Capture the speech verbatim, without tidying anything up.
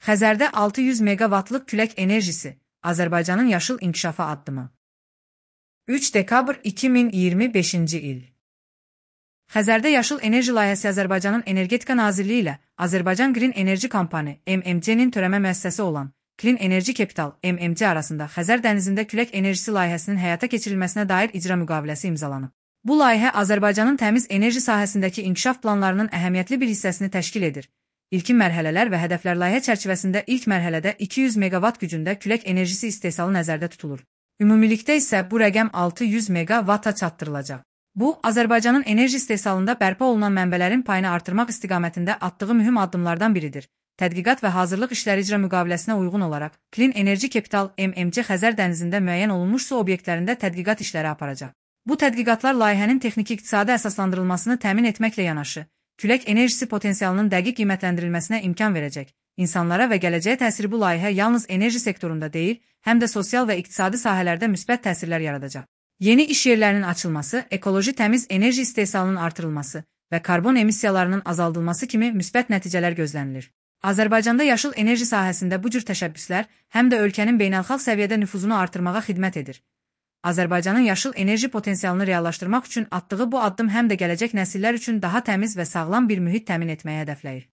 Xəzərdə altı yüz meqavatlıq külək enerjisi, Azərbaycanın yaşıl inkişafı addımı. üç dekabr iki min iyirmi beşinci il. Xəzərdə yaşıl enerji layihəsi Azərbaycanın Energetika Nazirliyi ilə Azərbaycan Green Energy Company M M C-nin törəmə müəssisəsi olan Clean Energy Capital M M C arasında Xəzər dənizində külək enerjisi layihəsinin həyata keçirilməsinə dair icra müqaviləsi imzalanıb. Bu layihə Azərbaycanın təmiz enerji sahəsindəki inkişaf planlarının əhəmiyyətli bir hissəsini təşkil edir. İlkin mərhələlər və hədəflər layihə çərçivəsində ilk mərhələdə iki yüz meqavat gücündə külək enerjisi istehsalı nəzərdə tutulur. Ümumilikdə isə bu rəqəm altı yüz meqavata çatdırılacaq. Bu, Azərbaycanın enerji istehsalında bərpa olunan mənbələrin payını artırmaq istiqamətində atdığı mühüm addımlardan biridir. Tədqiqat və hazırlıq işləri icra müqaviləsinə uyğun olaraq Clean Energy Capital M M C Xəzər dənizində müəyyən olunmuş su obyektlərində tədqiqat işləri aparacaq. Bu tədqiqatlar layihənin texniki-iqtisadi əsaslandırılmasını təmin etməklə yanaşı, külək enerjisi potensialının dəqiq qiymətləndirilməsinə imkan verəcək. İnsanlara və gələcəyə təsiri bu layihə yalnız enerji sektorunda deyil, həm də sosial və iqtisadi sahələrdə müsbət təsirlər yaradacaq. Yeni iş yerlərinin açılması, ekoloji təmiz enerji istehsalının artırılması və karbon emissiyalarının azaldılması kimi müsbət nəticələr gözlənilir. Azərbaycanda yaşıl enerji sahəsində bu cür təşəbbüslər həm də ölkənin beynəlxalq səviyyədə nüfuzunu artırmağa xidmət edir. Azərbaycanın yaşıl enerji potensialını reallaşdırmaq üçün atdığı bu addım həm də gələcək nəsillər üçün daha təmiz və sağlam bir mühit təmin etməyi hədəfləyir.